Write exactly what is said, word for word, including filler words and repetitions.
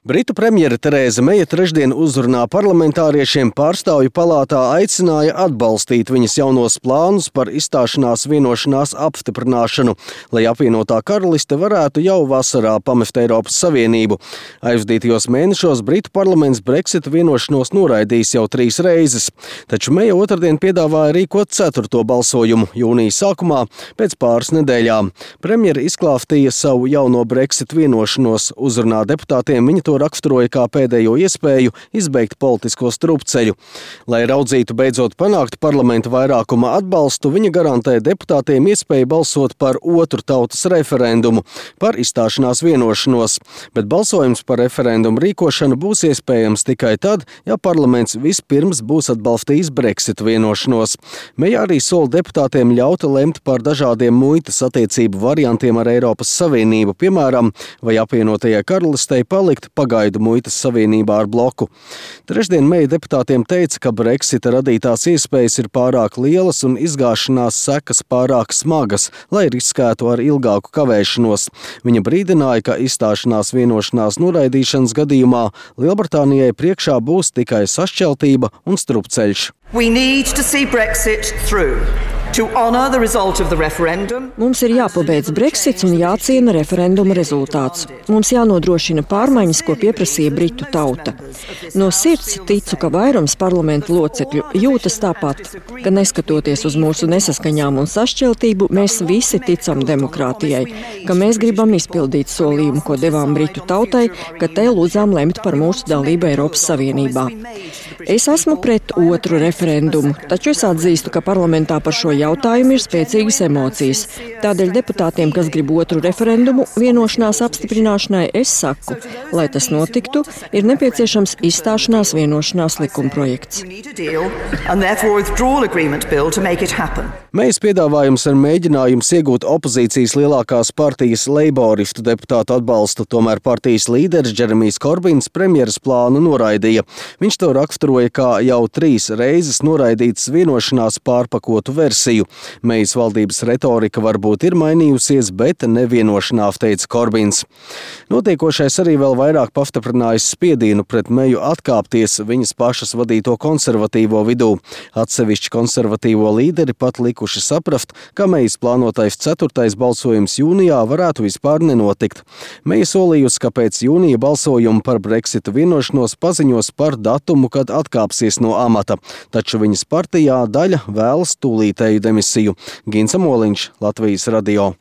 Britu premjere Terēza Meja trešdien uzrunā parlamentāriešiem pārstāvju palātā aicināja atbalstīt viņas jaunos plānus par izstāšanās vienošanās apstiprināšanu, lai apvienotā karaliste varētu jau vasarā pamest Eiropas Savienību. Aizdītajos mēnešos Britu parlaments Brexit vienošanos noraidījis jau trīs reizes, taču Meja otrdien piedāvāja rīkot ceturto balsojumu jūnija sākumā pēc pāris nedēļām. Premjere izklāstīja savu jauno Brexit vienošanos, uzrunā deputātiem viņa to raksturoja kā pēdējo iespēju izbeigt politisko strupceļu. Lai raudzītu beidzot panākt parlamenta vairākuma atbalstu, viņa garantē deputātiem iespēju balsot par otru tautas referendumu par izstāšanās vienošanos, bet balsojums par referendumu rīkošanu būs iespējams tikai tad, ja parlaments vispirms būs atbalstījis Brexit vienošanos. Meja arī sola deputātiem ļaut lemt par dažādiem muitas attiecību variantiem ar Eiropas Savienību, piemēram, vai apvienotajai karalistei palikt pagaidu muitas savienībā ar bloku. Trešdien Meja deputātiem teica, ka Brexita radītās iespējas ir pārāk lielas un izgāšanās sekas pārāk smagas, lai riskētu ar ilgāku kavēšanos. Viņa brīdināja, ka izstāšanās vienošanās noraidīšanas gadījumā Lielbritānijai priekšā būs tikai sašķeltība un strupceļš. We need to see Brexit through. To honor the result of the referendum. Mums ir jāpabeidz Brexits un jāciena referenduma rezultāts. Mums jānodrošina pārmaiņas, ko pieprasīja Britu tauta. No sirds ticu, ka vairums parlamenta locekļu jūtas tāpat, ka neskatoties uz mūsu nesaskaņām un sašķeltību, mēs visi ticam demokrātijai, ka mēs gribam izpildīt solījumu, ko devām Britu tautai, ka te lūdzām lemt par mūsu dalību Eiropas Savienībā. Es esmu pret otru referendumu, taču es atzīstu, ka parlamentā par šo jautājumu ir spēcīgas emocijas. Tādēļ deputātiem, kas grib otru referendumu vienošanās apstiprināšanai, es saku, lai tas notiktu, ir nepieciešams izstāšanās vienošanās likumprojekts. Mejas piedāvājums ir mēģinājums iegūt opozīcijas lielākās partijas leiboristu deputātu atbalstu, tomēr partijas līderis Džeremijs Korbins premjeras plānu noraidīja. Viņš to raksturoja kā jau trīs reizes noraidītas vienošanās pārpakotu versiju. Mejas valdības retorika varbūt ir mainījusies, bet nevienošanās, teica Korbins. Notiekošais arī vēl vairāk pastiprinājis spiedienu pret Meju atkāpties viņas pašas vadīto konservatīvo vidū. Atsevišķi konservatīvo līderi pat likuši saprast, ka Mejas plānotais ceturtais balsojums jūnijā varētu vispār nenotikt. Meja solījusi, ka pēc jūnija balsojuma par Brexita vienošanos paziņos par datumu, kad atkāpsies no amata, taču viņas partijā daļa vēlas tūlītēju demisiju. Gins Amoliņš, Latvijas radio.